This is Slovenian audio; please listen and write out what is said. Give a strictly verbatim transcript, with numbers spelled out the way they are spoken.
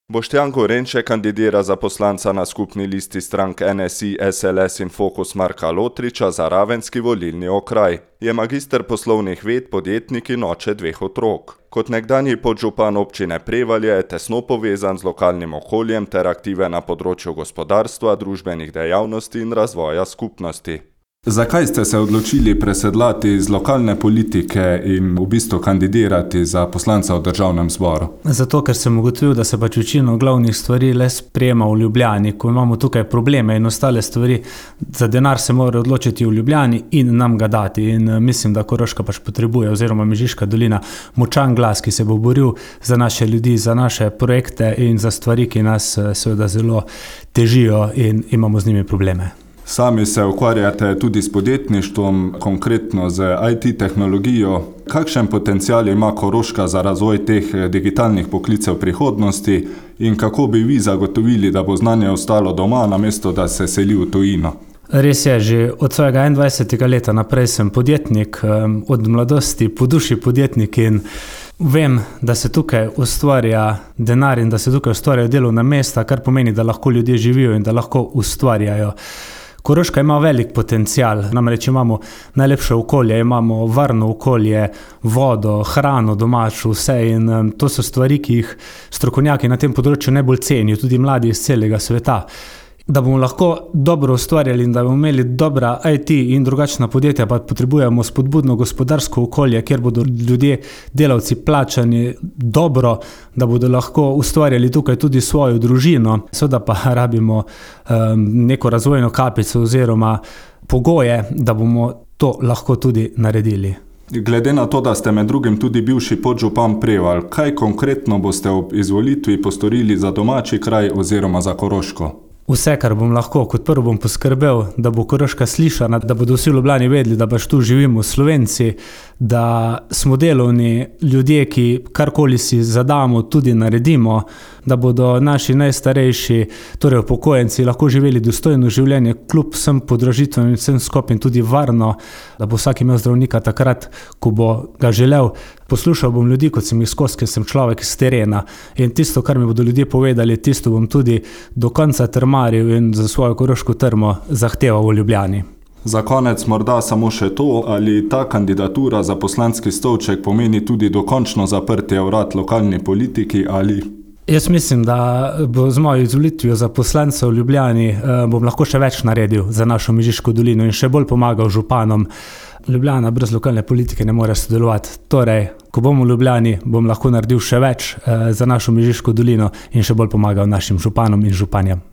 Boštjan Gorenček kandidira za poslanca na skupni listi strank N S I, S L S in Fokus Marka Lotriča za ravenski volilni okraj. Je magister poslovnih ved, podjetnik in oče dveh otrok. Kot nekdanji podžupan občine Prevalje je tesno povezan z lokalnim okoljem ter aktiven na področju gospodarstva, družbenih dejavnosti in razvoja skupnosti. Zakaj ste se odločili presedlati iz lokalne politike in v bistvu kandidirati za poslanca v državnem zboru? Zato, ker sem ugotovil, da se pač večino glavnih stvari le sprejema v Ljubljani, ko imamo tukaj probleme in ostale stvari, za denar se mora odločiti v Ljubljani in nam ga dati. In mislim, da Koroška pač potrebuje, oziroma Mežiška dolina, močan glas, ki se bo boril za naše ljudi, za naše projekte in za stvari, ki nas seveda zelo težijo in imamo z njimi probleme. Sami se ukvarjate tudi s podjetništvom, konkretno z I T tehnologijo. Kakšen potencial ima Koroška za razvoj teh digitalnih poklicev prihodnosti in kako bi vi zagotovili, da bo znanje ostalo doma, namesto da se seli v tujino? Res je, že od svojega enaindvajsetega leta naprej sem podjetnik, od mladosti po duši podjetnik in vem, da se tukaj ustvarja denar in da se tukaj ustvarjajo delovna mesta, kar pomeni, da lahko ljudje živijo in da lahko ustvarjajo. Koroška ima velik potencial, namreč imamo najlepše okolje, imamo varno okolje, vodo, hrano domačo, vse in to so stvari, ki jih strokovnjaki na tem področju najbolj cenijo, tudi mladi iz celega sveta. Da bomo lahko dobro ustvarjali in da bomo imeli dobra I T in drugačna podjetja, pa potrebujemo spodbudno gospodarsko okolje, kjer bodo ljudje, delavci plačani dobro, da bodo lahko ustvarjali tukaj tudi svojo družino. Seveda pa rabimo um, neko razvojno kapico oziroma pogoje, da bomo to lahko tudi naredili. Glede na to, da ste med drugim tudi bivši podžupan Prevalj, kaj konkretno boste ob izvolitvi postorili za domači kraj oziroma za Koroško? Vse, kar bom lahko, kot prvo bom poskrbel, da bo Koroška slišana, da bodo vsi v Ljubljani vedeli, da pač tu živimo Slovenci, da smo delovni ljudje, ki karkoli si zadamo, tudi naredimo, da bodo naši najstarejši, torej upokojenci, lahko živeli dostojno življenje, kljub vsem podražitvam in vsem skupaj tudi varno, da bo vsak imel zdravnika takrat, ko bo ga želel. Poslušal bom ljudi, kot sem jih skozi, ker sem človek z terena in tisto, kar mi bodo ljudje povedali, tisto bom tudi do konca trmaril in za svojo koroško trmo zahteval v Ljubljani. Za konec morda samo še to, ali ta kandidatura za poslanski stolček pomeni tudi dokončno zaprtje vrat lokalni politiki ali... Jaz mislim, da bo z mojo izvolitvijo za poslanca v Ljubljani eh, bom lahko še več naredil za našo Mežiško dolino in še bolj pomagal županom. Ljubljana brez lokalne politike ne more sodelovati. Torej, ko bom v Ljubljani, bom lahko naredil še več eh, za našo Mežiško dolino in še bolj pomagal našim županom in županjem.